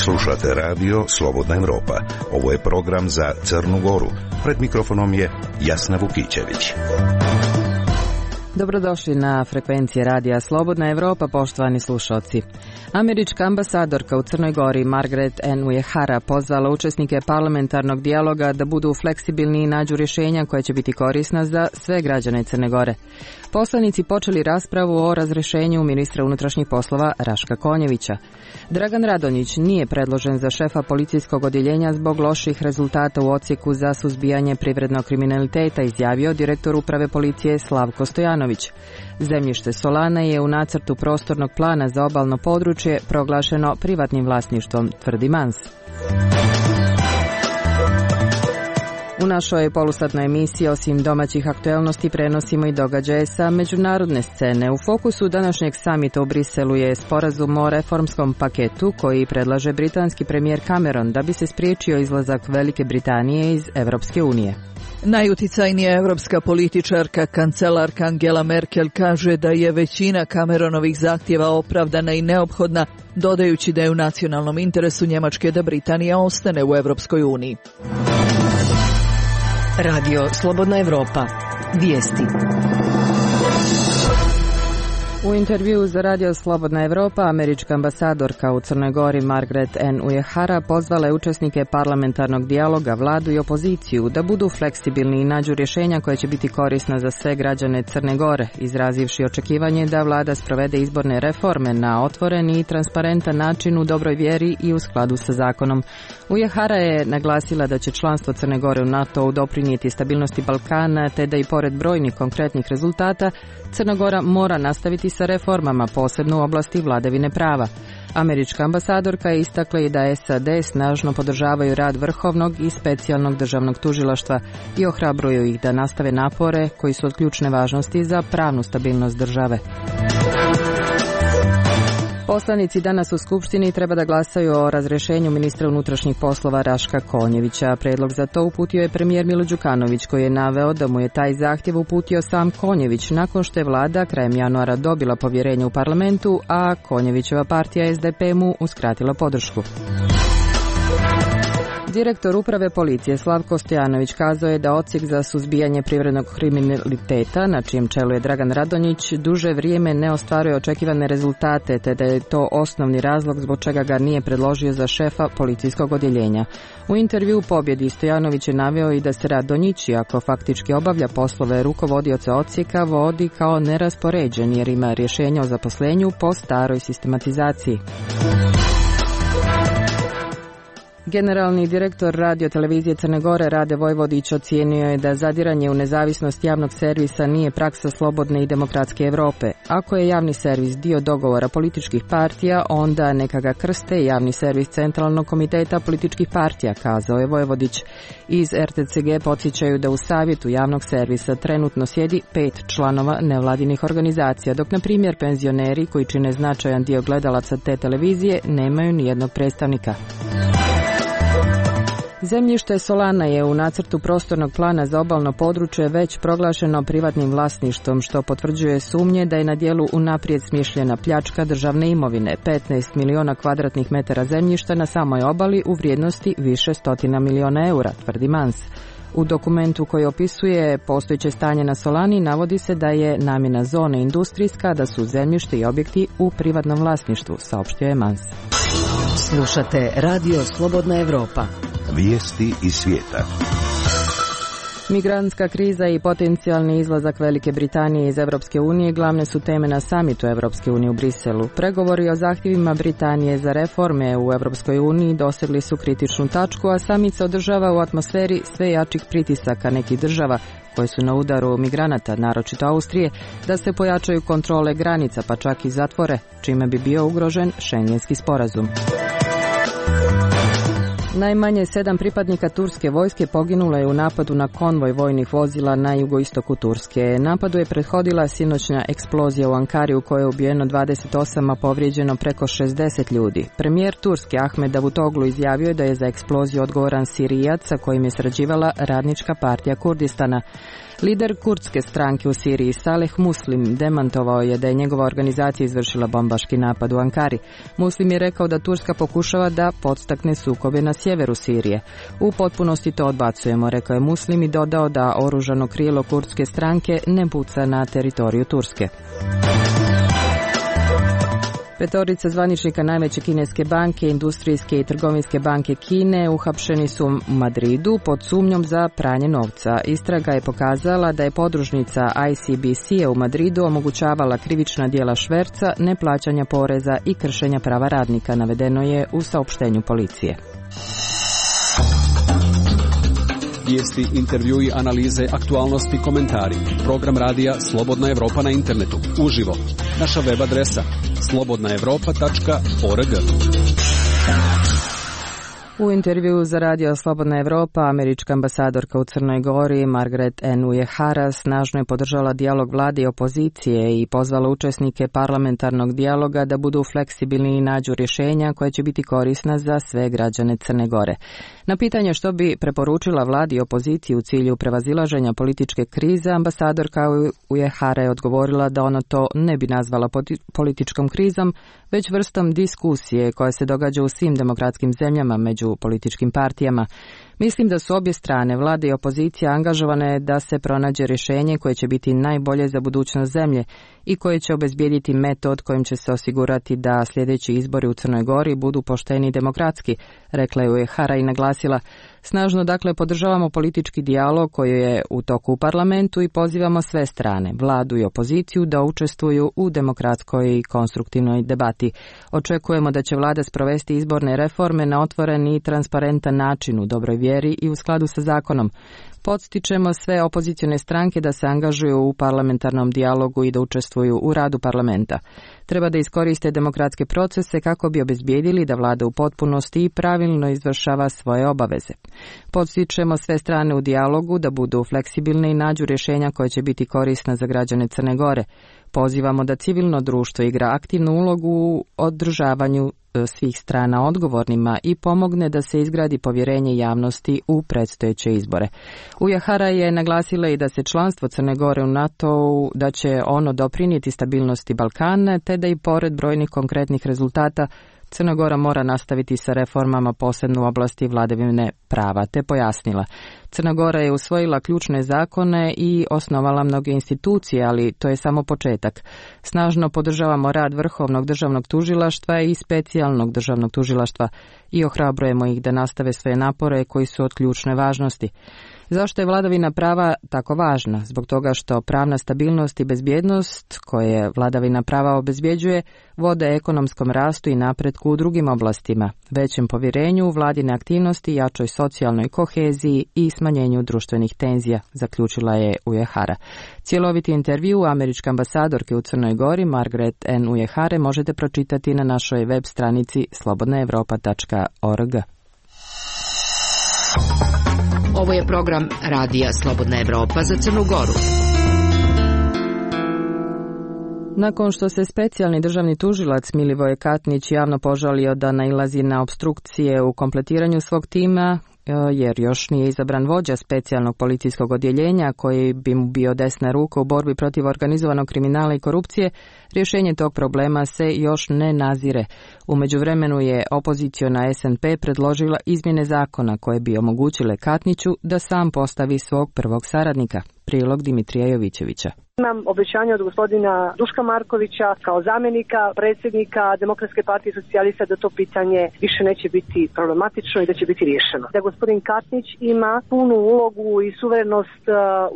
Slušate radio Slobodna Evropa. Ovo je program za Crnu Goru. Pred mikrofonom je Jasna Vukićević. Dobrodošli na frekvencije radija Slobodna Evropa, poštovani slušalci. Američka ambasadorka u Crnoj Gori Margaret N. Uehara pozvala učesnike parlamentarnog dijaloga da budu fleksibilni i nađu rješenja koja će biti korisna za sve građane Crne Gore. Poslanici počeli raspravu o razrješenju ministra unutrašnjih poslova Raška Konjevića. Dragan Radonjić nije predložen za šefa policijskog odjeljenja zbog loših rezultata u odsjeku za suzbijanje privrednog kriminaliteta, izjavio direktor uprave policije Slavko Stojanović. Zemljište Solana je u nacrtu prostornog plana za obalno područje proglašeno privatnim vlasništvom, tvrdi Mans. U našoj polusatnoj emisiji osim domaćih aktuelnosti prenosimo i događaje sa međunarodne scene. U fokusu današnjeg samita u Briselu je sporazum o reformskom paketu koji predlaže britanski premijer Cameron da bi se spriječio izlazak Velike Britanije iz Evropske unije. Najuticajnija evropska političarka, kancelarka Angela Merkel, kaže da je većina Cameronovih zahtjeva opravdana i neophodna, dodajući da je u nacionalnom interesu Njemačke da Britanija ostane u Evropskoj uniji. Radio Slobodna Evropa. Vijesti. U intervjuu za Radio Slobodna Evropa, američka ambasadorka u Crnoj Gori Margaret N. Uehara pozvala je učesnike parlamentarnog dijaloga, vladu i opoziciju da budu fleksibilni i nađu rješenja koja će biti korisna za sve građane Crne Gore, izrazivši očekivanje da vlada sprovede izborne reforme na otvoren i transparentan način u dobroj vjeri i u skladu sa zakonom. Uehara je naglasila da će članstvo Crne Gore u NATO-u doprinijeti stabilnosti Balkana, te da i pored brojnih konkretnih rezultata Crna Gora mora nastaviti sa reformama, posebno u oblasti vladavine prava. Američka ambasadorka je istakla i da SAD snažno podržavaju rad Vrhovnog i specijalnog državnog tužilaštva i ohrabruju ih da nastave napore koji su od ključne važnosti za pravnu stabilnost države. Poslanici danas u Skupštini treba da glasaju o razrješenju ministra unutrašnjih poslova Raška Konjevića. Predlog za to uputio je premijer Milo Đukanović, koji je naveo da mu je taj zahtjev uputio sam Konjević nakon što je vlada krajem januara dobila povjerenje u parlamentu, a Konjevićeva partija SDP mu uskratila podršku. Direktor uprave policije Slavko Stojanović kazao je da odsjek za suzbijanje privrednog kriminaliteta, na čijem čelu je Dragan Radonjić, duže vrijeme ne ostvaruje očekivane rezultate, te da je to osnovni razlog zbog čega ga nije predložio za šefa policijskog odjeljenja. U intervju Pobjedi Stojanović je naveo i da se Radonjić, iako faktički obavlja poslove rukovodioca odsjeka, vodi kao neraspoređen jer ima rješenje o zaposlenju po staroj sistematizaciji. Generalni direktor radiotelevizije Crne Gore Rade Vojvodić ocijenio je da zadiranje u nezavisnost javnog servisa nije praksa slobodne i demokratske Europe. Ako je javni servis dio dogovora političkih partija, onda neka ga krste javni servis Centralnog komiteta političkih partija, kazao je Vojvodić. Iz RTCG podsjećaju da u savjetu javnog servisa trenutno sjedi 5 članova nevladinih organizacija, dok na primjer penzioneri koji čine značajan dio gledalaca te televizije nemaju nijednog predstavnika. Zemljište Solana je u nacrtu prostornog plana za obalno područje već proglašeno privatnim vlasništvom, što potvrđuje sumnje da je na djelu unaprijed smišljena pljačka državne imovine. 15 miliona kvadratnih metara zemljišta na samoj obali u vrijednosti više stotina miliona eura, tvrdi Mans. U dokumentu koji opisuje postojeće stanje na Solani navodi se da je namjena zone industrijska, da su zemljište i objekti u privatnom vlasništvu, saopštio je Mans. Slušate Radio Slobodna Evropa. Vijesti iz svijeta. Migrantska kriza i potencijalni izlazak Velike Britanije iz Evropske unije glavne su teme na samitu Evropske unije u Briselu. Pregovori o zahtjevima Britanije za reforme u Evropskoj uniji dosegli su kritičnu tačku, a samit se održava u atmosferi sve jačih pritisaka nekih država koje su na udaru migranata, naročito Austrije, da se pojačaju kontrole granica, pa čak i zatvore, čime bi bio ugrožen Schengenski sporazum. Najmanje 7 pripadnika turske vojske poginulo je u napadu na konvoj vojnih vozila na jugoistoku Turske. Napadu je prethodila sinoćna eksplozija u Ankari u kojoj je ubijeno 28, a povrijeđeno preko 60 ljudi. Premijer Turske Ahmed Davutoglu izjavio je da je za eksploziju odgovoran Sirijac sa kojim je sarađivala Radnička partija Kurdistana. Lider kurdske stranke u Siriji Saleh Muslim demantovao je da je njegova organizacija izvršila bombaški napad u Ankari. Muslim je rekao da Turska pokušava da podstakne sukobe na sjeveru Sirije. U potpunosti to odbacujemo, rekao je Muslim i dodao da oružano krilo kurdske stranke ne puca na teritoriju Turske. Petorica zvaničnika najveće kineske banke, industrijske i trgovinske banke Kine uhapšeni su u Madridu pod sumnjom za pranje novca. Istraga je pokazala da je podružnica ICBC-a u Madridu omogućavala krivična djela šverca, neplaćanja poreza i kršenja prava radnika, navedeno je u saopštenju policije. Vijesti, intervjui, analize, aktualnosti, komentari. Program radija Slobodna Evropa na internetu. Uživo. Naša web adresa slobodnaevropa.org. U intervjuu za radio Slobodna Evropa, američka ambasadorka u Crnoj Gori Margaret N. Uehara snažno je podržala dijalog vlade i opozicije i pozvala učesnike parlamentarnog dijaloga da budu fleksibilni i nađu rješenja koja će biti korisna za sve građane Crne Gore. Na pitanje što bi preporučila vladi i opoziciji u cilju prevazilaženja političke krize, ambasadorka Uehara je odgovorila da ona to ne bi nazvala političkom krizom, već vrstom diskusije koja se događa u svim demokratskim zemljama među političkim partijama. Mislim da su obje strane, vlada i opozicija, angažovane da se pronađe rješenje koje će biti najbolje za budućnost zemlje i koje će obezbijediti metod kojim će se osigurati da sljedeći izbori u Crnoj Gori budu pošteni i demokratski, rekla je Uehara i naglasila. Snažno dakle podržavamo politički dijalog koji je u toku u parlamentu i pozivamo sve strane, vladu i opoziciju, da učestvuju u demokratskoj i konstruktivnoj debati. Očekujemo da će vlada sprovesti izborne reforme na otvoren i transparentan način u dobroj vjeri i u skladu sa zakonom. Podstičemo sve opozicione stranke da se angažuju u parlamentarnom dijalogu i da učestvuju u radu parlamenta. Treba da iskoriste demokratske procese kako bi obezbijedili da vlada u potpunosti i pravilno izvršava svoje obaveze. Podstičemo sve strane u dijalogu da budu fleksibilne i nađu rješenja koja će biti korisna za građane Crne Gore. Pozivamo da civilno društvo igra aktivnu ulogu u održavanju svih strana odgovornima i pomogne da se izgradi povjerenje javnosti u predstojeće izbore. Uehara je naglasila i da se članstvo Crne Gore u NATO-u, da će ono doprinijeti stabilnosti Balkana, te da i pored brojnih konkretnih rezultata Crna Gora mora nastaviti sa reformama posebno u oblasti vladavine prava, te pojasnila. Crna Gora je usvojila ključne zakone i osnovala mnoge institucije, ali to je samo početak. Snažno podržavamo rad Vrhovnog državnog tužilaštva i specijalnog državnog tužilaštva i ohrabrujemo ih da nastave svoje napore koji su od ključne važnosti. Zašto je vladavina prava tako važna? Zbog toga što pravna stabilnost i bezbjednost koje vladavina prava obezbjeđuje vode ekonomskom rastu i napretku u drugim oblastima, većem povjerenju u vladine aktivnosti, jačoj socijalnoj koheziji i smanjenju društvenih tenzija, zaključila je Uehara. Cjeloviti intervju američke ambasadorke u Crnoj Gori Margaret N. Uehare možete pročitati na našoj web stranici slobodnaevropa.org. Ovo je program radija Slobodna Evropa za Crnu Goru. Nakon što se specijalni državni tužilac Milivoje Katnić javno požalio da nailazi na opstrukcije u kompletiranju svog tima, jer još nije izabran vođa specijalnog policijskog odjeljenja koji bi mu bio desna ruka u borbi protiv organizovanog kriminala i korupcije, rješenje tog problema se još ne nazire. U međuvremenu je opoziciona SNP predložila izmjene zakona koje bi omogućile Katniću da sam postavi svog prvog saradnika. Prilog Dimitrija Jovićevića. Imam obećanje od gospodina Duška Markovića kao zamjenika predsjednika Demokratske partije socijalista da to pitanje više neće biti problematično i da će biti riješeno. Da gospodin Katnić ima punu ulogu i suverenost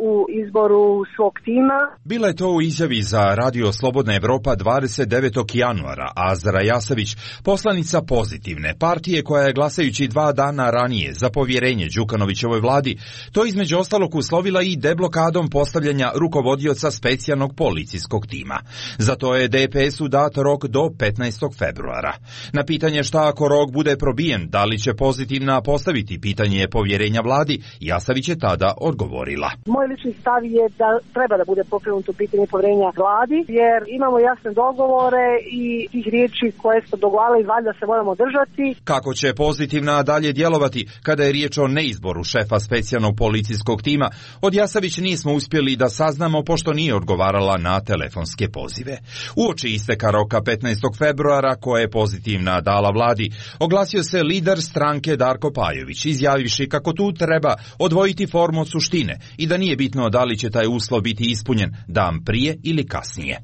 u izboru svog tima. Bila je to u izjavi za Radio Slobodna Evropa 29. januara. Azra Jasavić, poslanica Pozitivne partije koja je glasajući 2 dana ranije za povjerenje Đukanovićevoj vladi, to između ostalog uslovila i deblokadom postavljanja rukovodioca specijalnog policijskog tima. Zato je DPS-u dat rok do 15. februara. Na pitanje šta ako rok bude probijen, da li će Pozitivna postaviti pitanje povjerenja vladi, Jasavić je tada odgovorila. Moj lični stav je da treba da bude pokrenuto pitanje povjerenja vladi, jer imamo jasne dogovore i tih riječi koje smo dogovarali valjda se moramo držati. Kako će Pozitivna dalje djelovati kada je riječ o neizboru šefa specijalnog policijskog tima, od Jasavić nismo uspjeli da saznamo pošto nije odgovarala na telefonske pozive. Uoči isteka roka 15. februara, koja je pozitivna dala vladi, oglasio se lider stranke Darko Pajović, izjavivši kako tu treba odvojiti formu od suštine i da nije bitno da li će taj uslov biti ispunjen dan prije ili kasnije.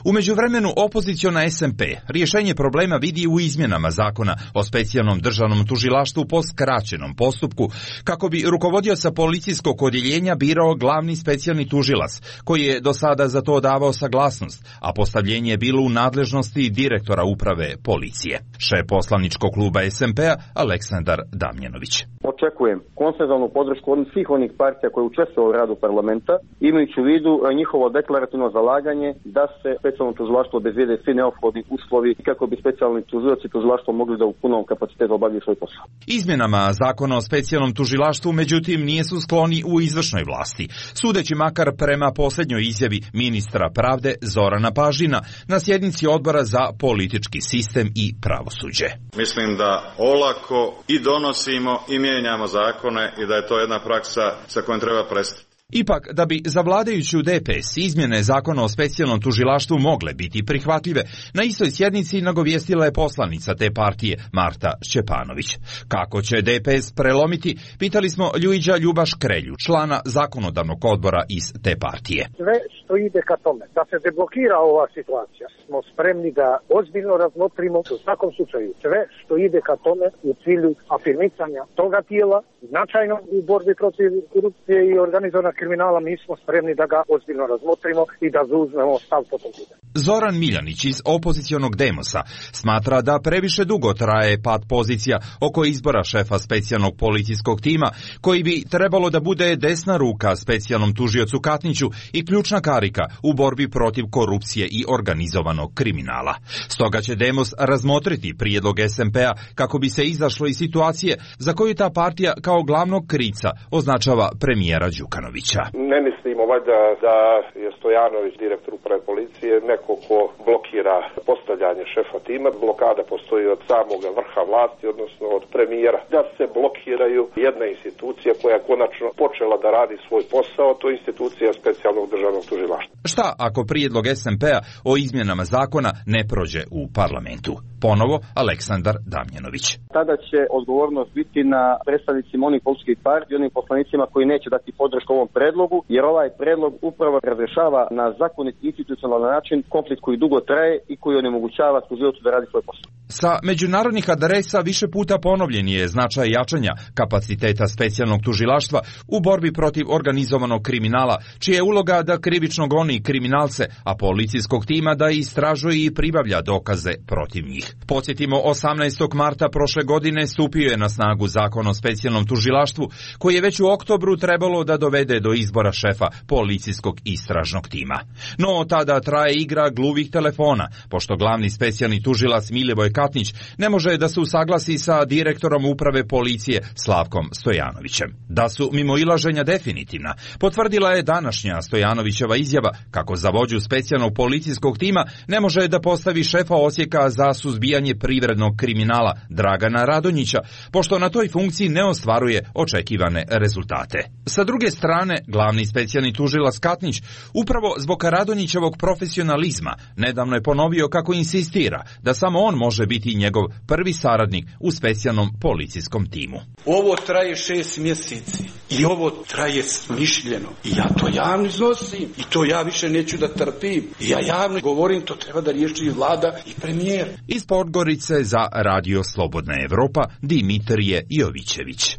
U međuvremenu opoziciona SMP rješenje problema vidi u izmjenama zakona o specijalnom državnom tužilaštvu po skraćenom postupku, kako bi rukovodioca policijskog odjeljenja birao glavni specijalni tužilac, koji je do sada za to davao saglasnost, a postavljenje je bilo u nadležnosti direktora uprave policije. Šef poslaničkog kluba SMP-a Aleksandar Damjanović. Očekujem konsenzualnu podršku od svih onih partija koje učestvuju u radu parlamenta, imajući u vidu njihovo deklarativno zalaganje da se specijalno tužilaštvo obezbijede svi neophodni uslovi kako bi specijalni tužioci tužilaštvo mogli da u punom kapacitetu obavljaju svoj posao. Izmjenama zakona o specijalnom tužilaštvu, međutim, nisu skloni u izvršnoj vlasti, sudeći makar prema posljednjoj izjavi ministra pravde Zorana Pažina na sjednici odbora za politički sistem i pravosuđe. Mislim da olako i donosimo i mijenjamo zakone i da je to jedna praksa sa kojom treba prestati. Ipak, da bi za vladajuću DPS izmjene zakona o specijalnom tužilaštvu mogle biti prihvatljive, na istoj sjednici nagovijestila je poslanica te partije Marta Šćepanović. Kako će DPS prelomiti, pitali smo Ljuiđa Ljubaš Krelju, člana zakonodavnog odbora iz te partije. Sve što ide ka tome da se deblokira ova situacija, smo spremni da ozbiljno razmotrimo u svakom slučaju sve što ide ka tome u cilju afirmicanja toga tijela, značajno u borbi protiv korupcije i organizovanog kriminala. Mi smo spremni da ga ozbiljno razmotrimo i da zauzmemo stav po tom pitanju. Zoran Miljanić iz opozicionog Demosa smatra da previše dugo traje pad pozicija oko izbora šefa specijalnog policijskog tima, koji bi trebalo da bude desna ruka specijalnom tužiocu Katniću i ključna karika u borbi protiv korupcije i organizovanog kriminala. Stoga će Demos razmotriti prijedlog SMP-a kako bi se izašlo iz situacije za koju ta partija kao glavnog krivca označava premijera Đukanovića. Ne mislimo valjda da je Stojanović, direktor uprave policije, neko ko blokira postavljanje šefa tima. Blokada postoji od samog vrha vlasti, odnosno od premijera. Da se blokiraju jedna institucija koja je konačno počela da radi svoj posao, to je institucija specijalnog državnog tužilaštva. Šta ako prijedlog SMP-a o izmjenama zakona ne prođe u parlamentu? Ponovo Aleksandar Damjanović. Tada će odgovornost biti na predstavnicima onih političkih partija i onim poslanicima koji neće dati podršku ovom predlogu, jer ovaj predlog upravo razrešava na zakonit institucionalan način konflikt koji dugo traje i koji onemogućava tužiocu da radi svoj posao. Sa međunarodnih adresa više puta ponovljen je značaj jačanja kapaciteta specijalnog tužilaštva u borbi protiv organizovanog kriminala, čija je uloga da krivično goni kriminalce, a policijskog tima da istražuje i pribavlja dokaze protiv njih. Podsjetimo, 18. marta prošle godine stupio je na snagu zakon o specijalnom tužilaštvu, koji je već u oktobru trebalo da dovede do izbora šefa policijskog istražnog tima. No, tada traje igra gluvih telefona, pošto glavni specijalni tužilac Milivoj Katnić ne može da se usaglasi sa direktorom uprave policije Slavkom Stojanovićem. Da su mimoilaženja definitivna, potvrdila je današnja Stojanovićeva izjava kako za vođu specijalnog policijskog tima ne može da postavi šefa odsjeka za suzbijanje privrednog kriminala Dragana Radonjića, pošto na toj funkciji ne ostvaruje očekivane rezultate. Sa druge strane, glavni specijalni tužilac Katnić, upravo zbog Radonjićevog profesionalizma, nedavno je ponovio kako insistira da samo on može biti njegov prvi saradnik u specijalnom policijskom timu. Ovo traje 6 mjeseci i ovo traje smišljeno i ja to javno iznosim i to ja više neću da trpim. I ja javno govorim, to treba da riješi vlada i premijer. Iz Podgorice za Radio Slobodna Evropa, Dimitrije Jovićević.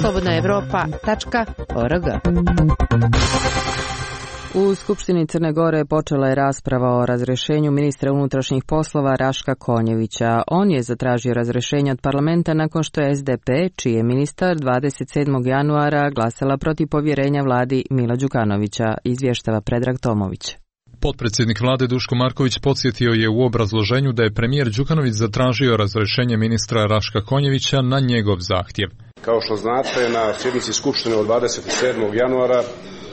slobodnaevropa.org. U Skupštini Crne Gore počela je rasprava o razrješenju ministra unutrašnjih poslova Raška Konjevića. On je zatražio razrješenje od parlamenta nakon što je SDP, čiji je ministar 27. januara glasala protiv povjerenja vladi Mila Đukanovića, izvještava Predrag Tomović. Potpredsjednik vlade Duško Marković podsjetio je u obrazloženju da je premijer Đukanović zatražio razrješenje ministra Raška Konjevića na njegov zahtjev. Kao što znate, na sjednici Skupštine od 27. januara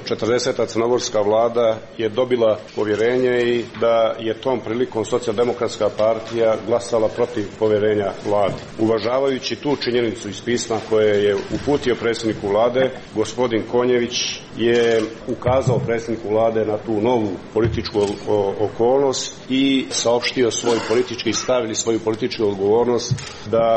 40. crnogorska vlada je dobila povjerenje i da je tom prilikom Socijaldemokratska partija glasala protiv povjerenja vladi. Uvažavajući tu činjenicu iz pisma koje je uputio predsjedniku vlade, gospodin Konjević je ukazao predsjedniku vlade na tu novu političku okolnost i saopštio svoj politički stav ili svoju političku odgovornost da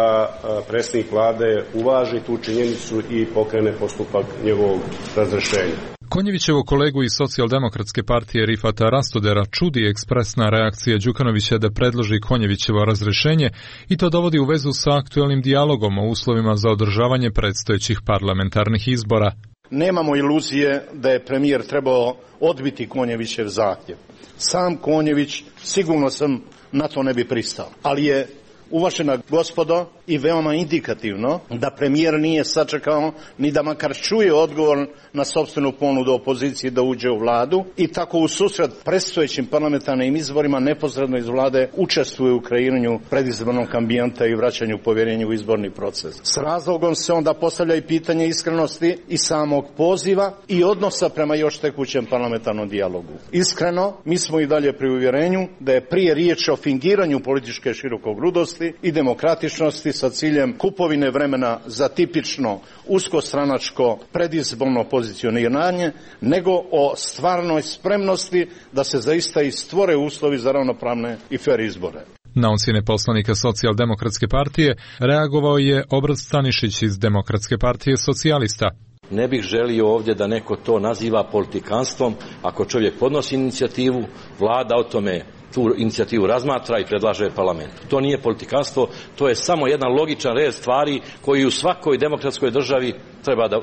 predsjednik vlade uvaži tu činjenicu i pokrene postupak njegovog razrješenja. Konjevićevo kolegu iz Socijaldemokratske partije Rifata Rastodera čudi ekspresna reakcija Đukanovića da predloži Konjevićevo razrješenje i to dovodi u vezu sa aktuelnim dijalogom o uslovima za održavanje predstojećih parlamentarnih izbora. Nemamo iluzije da je premijer trebao odbiti Konjevićev zahtjev. Sam Konjević, sigurno sam na to ne bi pristao, ali je uvažena gospodo i veoma indikativno da premijer nije sačekao ni da makar čuje odgovor na sopstvenu ponudu opozicije da uđe u vladu i tako u susret predstojećim parlamentarnim izborima neposredno iz vlade učestvuje u kreiranju predizbornog ambijenta i vraćanju povjerenja u izborni proces. S razlogom se onda postavlja i pitanje iskrenosti i samog poziva i odnosa prema još tekućem parlamentarnom dijalogu. Iskreno, mi smo i dalje pri uvjerenju da je prije riječ o fingiranju političke širokogrudosti i demokratičnosti sa ciljem kupovine vremena za tipično uskostranačko predizborno pozicioniranje, nego o stvarnoj spremnosti da se zaista i stvore uslovi za ravnopravne i fer izbore. Na ocjene poslanika Socijaldemokratske partije reagovao je Obraz Stanišić iz Demokratske partije socijalista. Ne bih želio ovdje da neko to naziva politikanstvom. Ako čovjek podnosi inicijativu, vlada o tome tu inicijativu razmatra i predlaže parlamentu. To nije politikanstvo, to je samo jedan logičan red stvari koji u svakoj demokratskoj državi treba da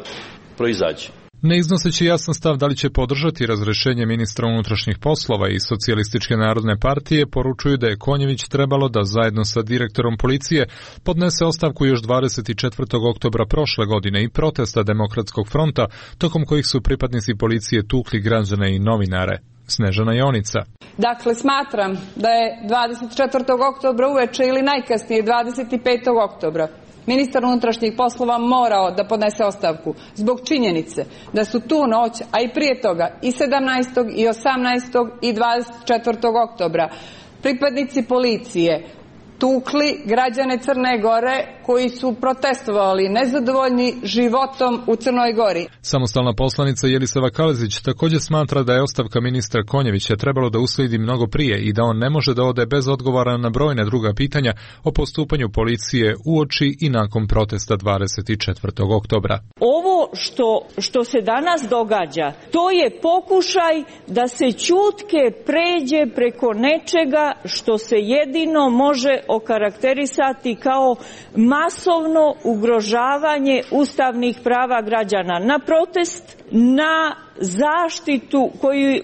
proizađe. Ne iznoseći jasan stav da li će podržati razrješenje ministra unutrašnjih poslova i Socijalističke narodne partije, poručuju da je Konjević trebalo da zajedno sa direktorom policije podnese ostavku još 24. oktobra prošle godine i protesta Demokratskog fronta, tokom kojih su pripadnici policije tukli građane i novinare. Snežana Jonica. Dakle, smatram da je 24. oktobra uveče ili najkasnije 25. oktobra ministar unutrašnjih poslova morao da podnese ostavku zbog činjenice da su tu noć, a i prije toga i 17. i 18. i 24. oktobra pripadnici policije tukli građane Crne Gore koji su protestovali nezadovoljni životom u Crnoj Gori. Samostalna poslanica Jelisava Kalezić također smatra da je ostavka ministra Konjevića trebalo da usledi mnogo prije i da on ne može da ode bez odgovora na brojne druga pitanja o postupanju policije uoči i nakon protesta 24. oktobra. Ovo što se danas događa, to je pokušaj da se ćutke pređe preko nečega što se jedino može okarakterisati kao masovno ugrožavanje ustavnih prava građana na protest, na zaštitu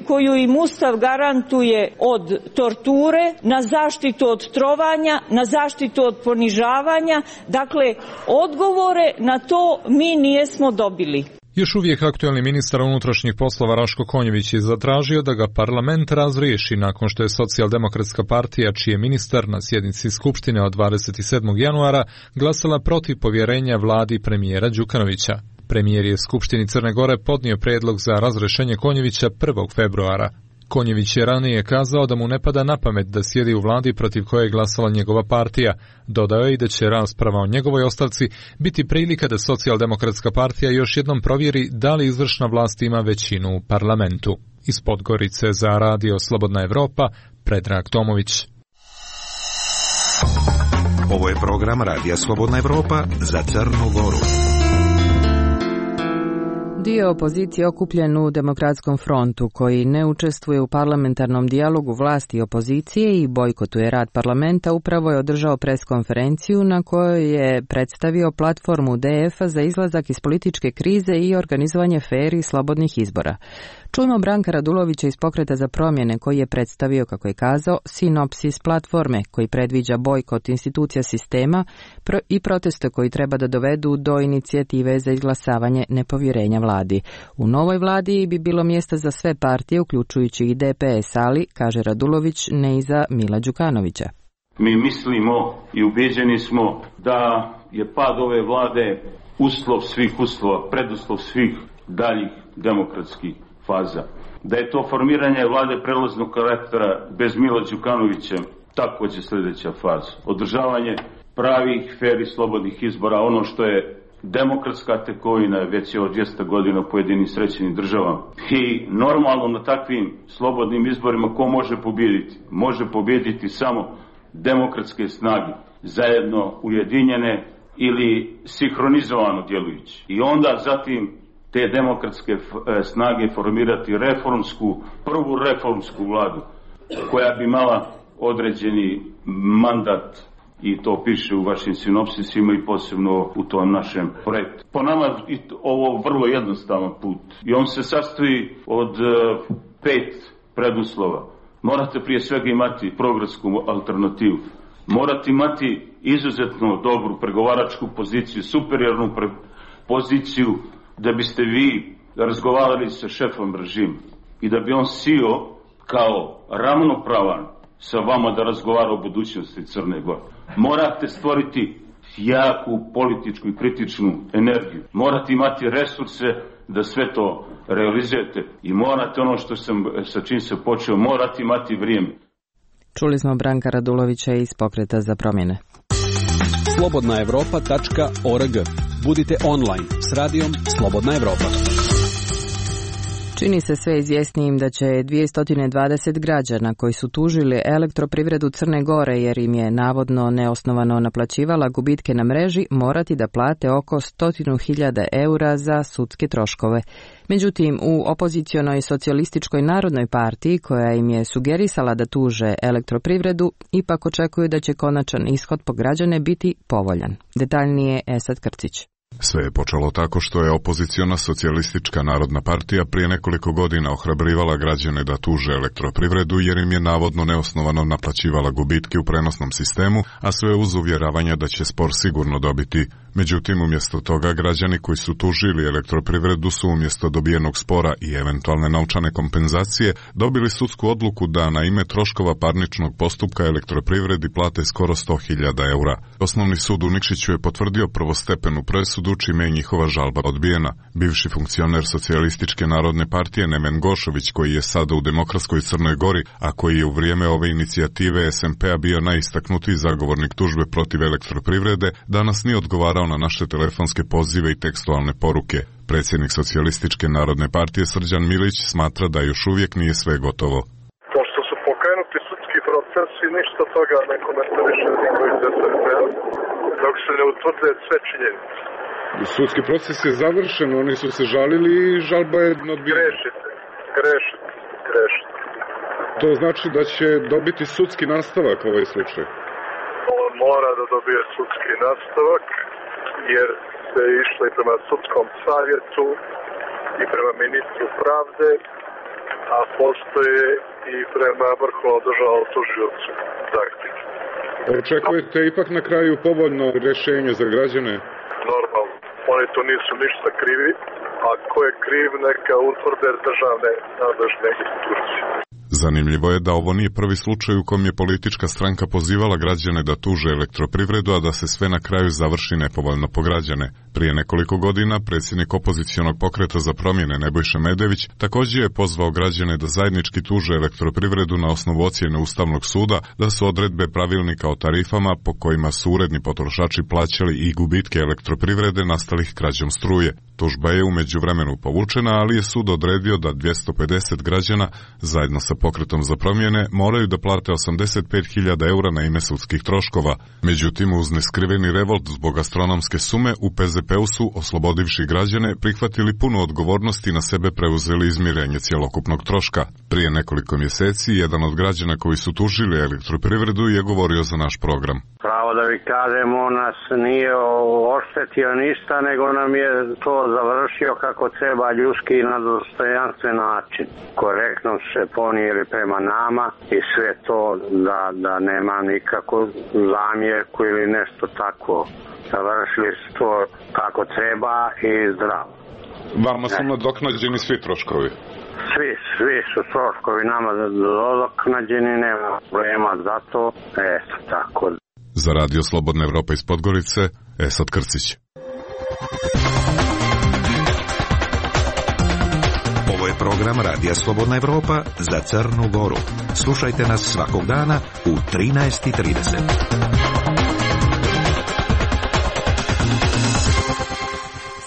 koju im Ustav garantuje od torture, na zaštitu od trovanja, na zaštitu od ponižavanja. Dakle, odgovore na to mi nismo dobili. Još uvijek aktuelni ministar unutrašnjih poslova Raško Konjević je zatražio da ga parlament razriješi nakon što je Socijaldemokratska partija, čiji je ministar na sjednici Skupštine od 27. januara glasala protiv povjerenja vladi premijera Đukanovića. Premijer je Skupštini Crne Gore podnio prijedlog za razrješenje Konjevića 1. februara. Konjević je ranije kazao da mu ne pada na pamet da sjedi u vladi protiv koje je glasala njegova partija. Dodao je i da će rasprava o njegovoj ostavci biti prilika da Socijaldemokratska partija još jednom provjeri da li izvršna vlast ima većinu u parlamentu. Iz Podgorice za Radio Slobodna Evropa, Predrag Tomović. Ovo je program Radija Slobodna Evropa za Crnu Goru. Dio opozicije okupljen u Demokratskom frontu, koji ne učestvuje u parlamentarnom dijalogu vlasti i opozicije i bojkotuje rad parlamenta, upravo je održao preskonferenciju na kojoj je predstavio platformu DF-a za izlazak iz političke krize i organizovanje fer i slobodnih izbora. Čujmo Branka Radulovića iz Pokreta za promjene, koji je predstavio, kako je kazao, sinopsis platforme koji predviđa bojkot institucija sistema i proteste koji treba da dovedu do inicijative za izglasavanje nepovjerenja vladi. U novoj vladi bi bilo mjesta za sve partije, uključujući i DPS, ali, kaže Radulović, ne i za Mila Đukanovića. Mi mislimo i ubeđeni smo da je pad ove vlade uslov svih uslova, preduslov svih daljih demokratskih faza. Da je to formiranje vlade prelaznog karaktera bez Mila Đukanovića također sljedeća faza. Održavanje pravih, fer i slobodnih izbora, ono što je demokratska tekovina već je od 200 godina u pojedinim srećenim državama. I normalno na takvim slobodnim izborima ko može pobijediti? Može pobijediti samo demokratske snage, zajedno ujedinjene ili sinhronizovano djelujući. I onda zatim te demokratske snage formirati prvu reformsku vladu koja bi imala određeni mandat, i to piše u vašim sinopsisima i posebno u tom našem projektu. Po nama ovo vrlo jednostavan put i on se sastoji od 5 preduslova. Morate prije svega imati programsku alternativu. Morate imati izuzetno dobru pregovaračku poziciju, superiornu poziciju da biste vi razgovarali sa šefom režima i da bi on sio kao ravnopravan sa vama da razgovara o budućnosti Crne Gore. Morate stvoriti jaku političku i kritičnu energiju. Morate imati resurse da sve to realizujete i morate ono sa čim se počeo, morate imati vrijeme. Čuli smo Branka Radulovića iz Pokreta za promjene. Slobodnaevropa.org. Budite online s radijom Slobodna Evropa. Čini se sve izvjesnijim da će 220 građana koji su tužili Elektroprivredu Crne Gore jer im je navodno neosnovano naplaćivala gubitke na mreži morati da plate oko 100.000 eura za sudske troškove. Međutim, u opozicionoj socijalističkoj narodnoj partiji koja im je sugerisala da tuže Elektroprivredu ipak očekuju da će konačan ishod po građane biti povoljan. Detaljnije Esad Krcić. Sve je počelo tako što je opoziciona socijalistička narodna partija prije nekoliko godina ohrabrivala građane da tuže Elektroprivredu jer im je navodno neosnovano naplaćivala gubitke u prenosnom sistemu, a sve uz uvjeravanja da će spor sigurno dobiti. Međutim, umjesto toga građani koji su tužili Elektroprivredu su umjesto dobijenog spora i eventualne novčane kompenzacije dobili sudsku odluku da na ime troškova parničnog postupka Elektroprivredi plate skoro 100.000 eura. Osnovni sud u Nikšiću je potvrdio prvostepenu presudu čime je njihova žalba odbijena. Bivši funkcioner socijalističke narodne partije Nemen Gošović, koji je sada u Demokratskoj Crnoj Gori, a koji je u vrijeme ove inicijative SMP-a bio najistaknutiji zagovornik tužbe protiv Elektroprivrede, danas nije odgovarao na naše telefonske pozive i tekstualne poruke. Predsjednik socijalističke narodne partije Srđan Milić smatra da još uvijek nije sve gotovo. Pošto su pokrenuti sudski procesi, ništa toga ne komentariše niko iz SMP-a, dok se ne utvrde sve činjenice. Sudski proces je završen, oni su se žalili i žalba je odbijena. Grešite. To znači da će dobiti sudski nastavak ovaj slučaj? On mora da dobije sudski nastavak, jer se išlo i prema sudskom savjetu i prema ministru pravde, a postoje i prema vrhovnom državnom tužiocu zahtjev. Očekujete ipak na kraju povoljno rješenje za građane? Normalno. Oni to nisu ništa krivi, a ko je kriv neka utvrde državne nadležne institucije. Zanimljivo je da ovo nije prvi slučaj u kom je politička stranka pozivala građane da tuže Elektroprivredu, a da se sve na kraju završi nepovoljno po građane. Prije nekoliko godina predsjednik opozicionog Pokreta za promjene Nebojša Medević također je pozvao građane da zajednički tuže Elektroprivredu na osnovu ocjene Ustavnog suda da su odredbe pravilnika o tarifama po kojima su uredni potrošači plaćali i gubitke Elektroprivrede nastalih krađom struje. Tužba je u međuvremenu povučena, ali je sud odredio da 250 građana zajedno sa Pokretom za promjene moraju da plate 85.000 eura na ime sudskih troškova. Međutim, uz neskriveni revolt zbog astronomske sume u PZP-u su, oslobodivši građane, prihvatili punu odgovornost i na sebe preuzeli izmirenje cjelokupnog troška. Prije nekoliko mjeseci, jedan od građana koji su tužili Elektroprivredu je govorio za naš program. Pravo da vi kažemo, nas nije oštetio ništa, nego nam je to završio kako treba, ljudski i na dostojanstven način. Korektno se ponijeli prema nama i sve to da nema nikakvu zamjerku ili nešto tako. Završili su to kako treba i zdravo. Vama su nadoknađeni svi troškovi? Svi su troškovi nama nadoknađeni, nema problema za to. Eto, tako. Za Radio Slobodna Evropa iz Podgorice, Esad Krcić. Ovo je program program Radija Slobodna Evropa za Crnu Goru. Slušajte nas svakog dana u 13:30.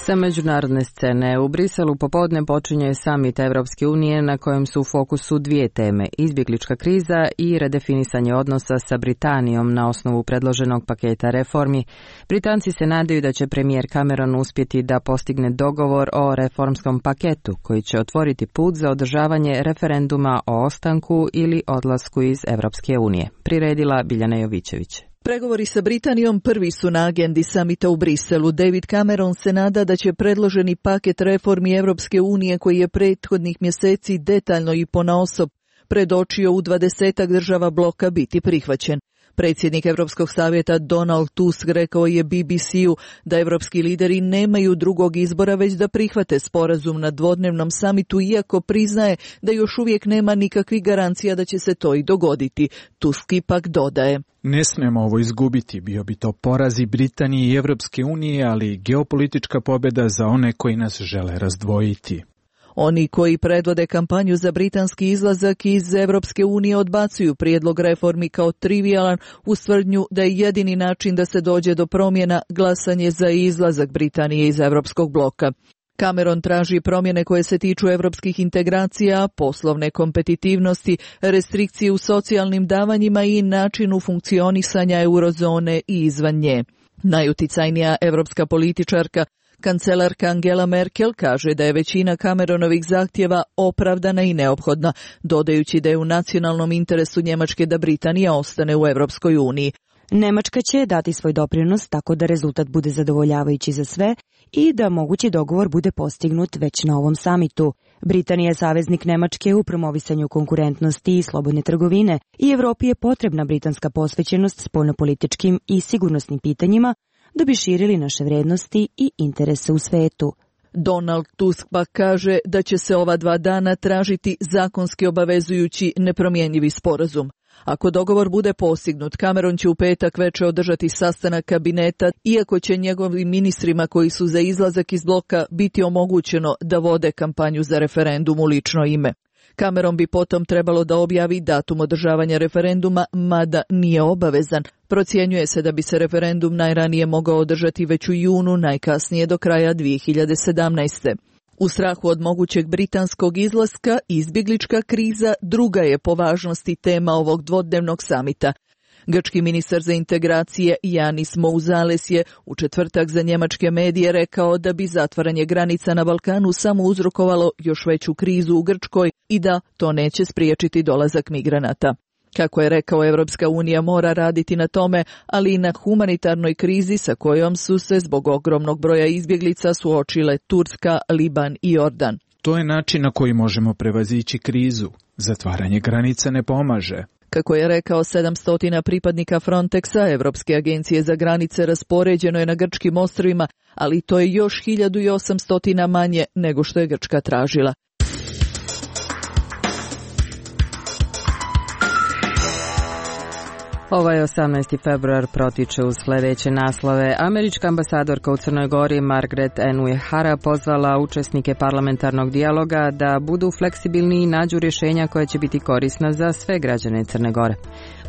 Sa međunarodne scene u Briselu popodne počinje samit Evropske unije na kojem su u fokusu dvije teme, izbjeglička kriza i redefinisanje odnosa sa Britanijom na osnovu predloženog paketa reformi. Britanci se nadaju da će premijer Cameron uspjeti da postigne dogovor o reformskom paketu koji će otvoriti put za održavanje referenduma o ostanku ili odlasku iz Evropske unije. Priredila Biljana Jovićević. Pregovori sa Britanijom prvi su na agendi samita u Briselu. David Cameron se nada da će predloženi paket reformi Evropske unije koji je prethodnih mjeseci detaljno i ponaosob predočio u 20 država bloka biti prihvaćen. Predsjednik Europskog savjeta Donald Tusk rekao je BBC-u da evropski lideri nemaju drugog izbora već da prihvate sporazum na dvodnevnom samitu, iako priznaje da još uvijek nema nikakvih garancija da će se to i dogoditi. Tusk ipak dodaje: Ne smemo ovo izgubiti, bio bi to poraz i Britanije i Evropske unije, ali i geopolitička pobjeda za one koji nas žele razdvojiti. Oni koji predvode kampanju za britanski izlazak iz Evropske unije odbacuju prijedlog reformi kao trivijalan uz tvrdnju da je jedini način da se dođe do promjena glasanje za izlazak Britanije iz Evropskog bloka. Cameron traži promjene koje se tiču evropskih integracija, poslovne kompetitivnosti, restrikcije u socijalnim davanjima i načinu funkcionisanja eurozone i izvan nje. Najuticajnija evropska političarka, kancelarka Angela Merkel, kaže da je većina Cameronovih zahtjeva opravdana i neophodna, dodajući da je u nacionalnom interesu Njemačke da Britanija ostane u Evropskoj uniji. Nemačka će dati svoj doprinos tako da rezultat bude zadovoljavajući za sve i da mogući dogovor bude postignut već na ovom samitu. Britanija je saveznik Nemačke u promovisanju konkurentnosti i slobodne trgovine i Evropi je potrebna britanska posvećenost spoljnopolitičkim i sigurnosnim pitanjima da bi širili naše vrednosti i interese u svetu. Donald Tusk pa kaže da će se ova 2 dana tražiti zakonski obavezujući nepromjenjivi sporazum. Ako dogovor bude postignut, Cameron će u petak večer održati sastanak kabineta, iako će njegovim ministrima koji su za izlazak iz bloka biti omogućeno da vode kampanju za referendum u lično ime. Cameron bi potom trebalo da objavi datum održavanja referenduma, mada nije obavezan. Procjenjuje se da bi se referendum najranije mogao održati već u junu, najkasnije do kraja 2017. U strahu od mogućeg britanskog izlaska, izbjeglička kriza druga je po važnosti tema ovog dvodnevnog samita. Grčki ministar za integracije Yanis Mouzales je u četvrtak za njemačke medije rekao da bi zatvaranje granica na Balkanu samo uzrokovalo još veću krizu u Grčkoj i da to neće spriječiti dolazak migranata. Kako je rekao, Evropska unija mora raditi na tome, ali i na humanitarnoj krizi sa kojom su se zbog ogromnog broja izbjeglica suočile Turska, Liban i Jordan. To je način na koji možemo prevazići krizu. Zatvaranje granica ne pomaže. Kako je rekao, 700 pripadnika Frontexa, Evropske agencije za granice, raspoređeno je na grčkim ostrvima, ali to je još 1800 manje nego što je Grčka tražila. Ovaj 18. februar protiče uz sljedeće naslove. Američka ambasadorka u Crnoj Gori Margaret N. Uehara pozvala učesnike parlamentarnog dijaloga da budu fleksibilni i nađu rješenja koja će biti korisna za sve građane Crne Gore.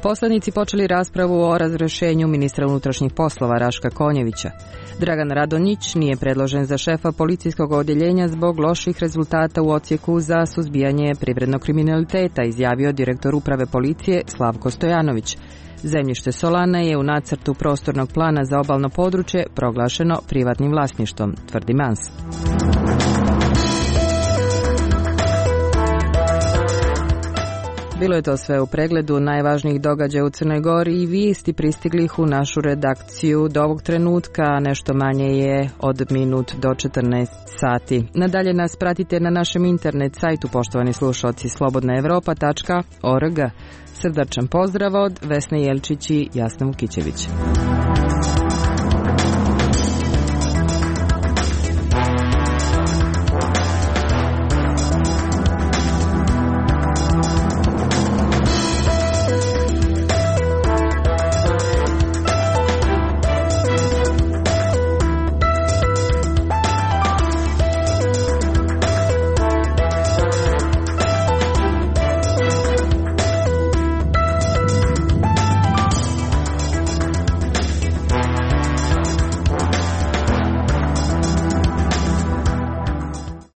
Poslanici počeli raspravu o razrješenju ministra unutrašnjih poslova Raška Konjevića. Dragan Radonjić nije predložen za šefa policijskog odjeljenja zbog loših rezultata u odsjeku za suzbijanje privrednog kriminaliteta, izjavio direktor uprave policije Slavko Stojanović. Zemljište Solana je u nacrtu prostornog plana za obalno područje proglašeno privatnim vlasništvom, tvrdi Mans. Bilo je to sve u pregledu najvažnijih događaja u Crnoj Gori i vijesti pristiglih u našu redakciju do ovog trenutka, nešto manje je od minut do 14 sati. Nadalje nas pratite na našem internet sajtu, poštovani slušalci, slobodnaevropa.org. Srdačan pozdrav od Vesne Jelčić i Jasna Vukićević.